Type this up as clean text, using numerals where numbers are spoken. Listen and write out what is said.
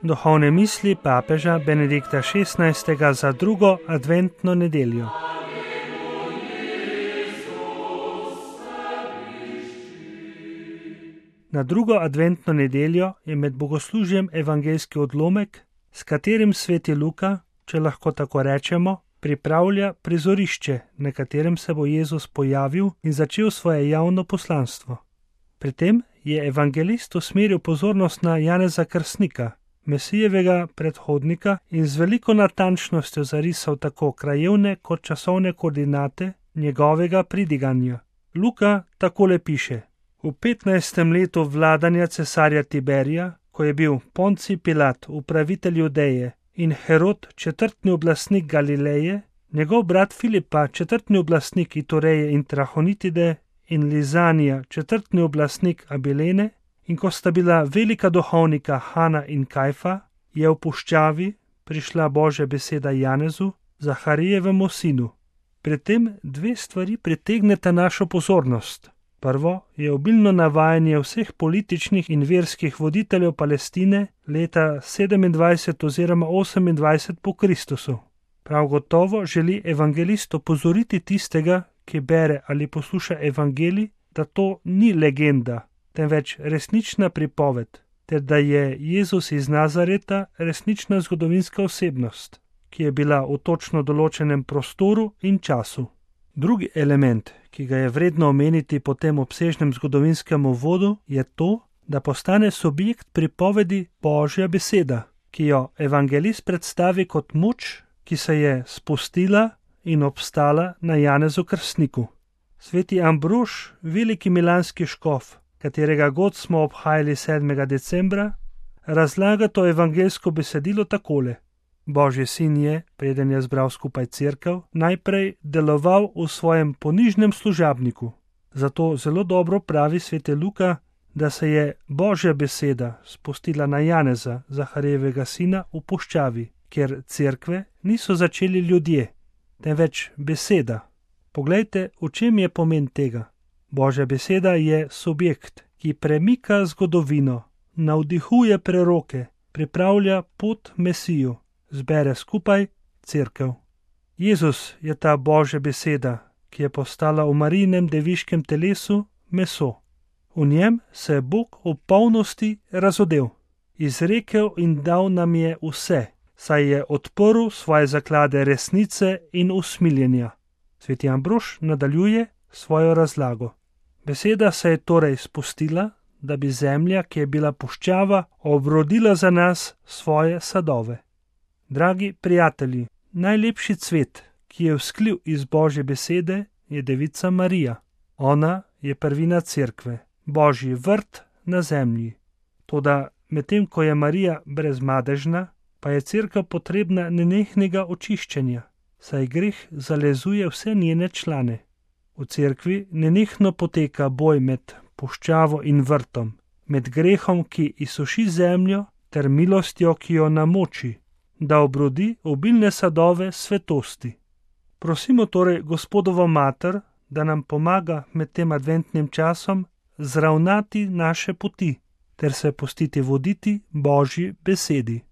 Duhovne misli papeža Benedikta XVI za drugo adventno nedeljo. Na drugo adventno nedeljo je med bogoslužjem evangeljski odlomek, s katerim sveti Luka, če lahko tako rečemo, pripravlja prizorišče, na katerem se bo Jezus pojavil in začel svoje javno poslanstvo. Pri tem je evangelist usmeril pozornost na Janeza Krstnika, Mesijevega predhodnika, in z veliko natančnostjo zarisal tako krajevne kot časovne koordinate njegovega pridiganja. Luka takole piše: V 15. letu vladanja cesarja Tiberija, ko je bil Poncij Pilat upravitelj Judeje in Herod četrtni oblastnik Galileje, njegov brat Filipa četrtni oblastnik Itureje in Trahonitide in Lizanija četrtni oblastnik Abilene, in ko sta bila velika duhovnika Hana in Kajfa, je v puščavi prišla Božja beseda Janezu, Zaharijevemu sinu. Pri tem dve stvari pritegneta našo pozornost. Prvo je obilno navajanje vseh političnih in verskih voditeljev Palestine leta 27 oziroma 28 po Kristusu. Prav gotovo želi evangelist opozoriti tistega, ki bere ali posluša evangelij, da to ni legenda, temveč resnična pripoved, ter da je Jezus iz Nazareta resnična zgodovinska osebnost, ki je bila v točno določenem prostoru in času. Drugi element, ki ga je vredno omeniti po tem obsežnem zgodovinskem uvodu, je to, da postane subjekt pripovedi Božja beseda, ki jo evangelist predstavi kot moč, ki se je spustila in obstala na Janezu Krstniku. Sveti Ambrož, veliki milanski škof, katerega god smo obhajali 7. decembra, razlaga to evangeljsko besedilo takole: Božji sin je, preden je zbral skupaj cerkev, najprej deloval v svojem ponižnem služabniku. Zato zelo dobro pravi sveti Luka, da se je Božja beseda spustila na Janeza, Zaharijevega sina, v puščavi, kjer cerkve niso začeli ljudje, temveč beseda. Poglejte, v čem je pomen tega. Božja beseda je subjekt, ki premika zgodovino, navdihuje preroke, pripravlja pot Mesiju, zbere skupaj cerkev. Jezus je ta Božja beseda, ki je postala v Marijinem deviškem telesu meso. V njem se je Bog v polnosti razodel, izrekel in dal nam je vse, saj je odprl svoje zaklade resnice in usmiljenja. Sveti Ambrož nadaljuje svojo razlago. Beseda se je torej spustila, da bi zemlja, ki je bila puščava, obrodila za nas svoje sadove. Dragi prijatelji, najlepši cvet, ki je vzklil iz Božje besede, je Devica Marija. Ona je prvina cerkve, Božji vrt na zemlji. Toda medtem ko je Marija brezmadežna, pa je cerkev potrebna nenehnega očiščenja, saj greh zalezuje vse njene člane. V cerkvi nenehno poteka boj med puščavo in vrtom, med grehom, ki izsuši zemljo, ter milostjo, ki jo namoči, da obrodi obilne sadove svetosti. Prosimo torej Gospodovo mater, da nam pomaga med tem adventnim časom zravnati naše poti, ter se pustiti voditi Božji besedi.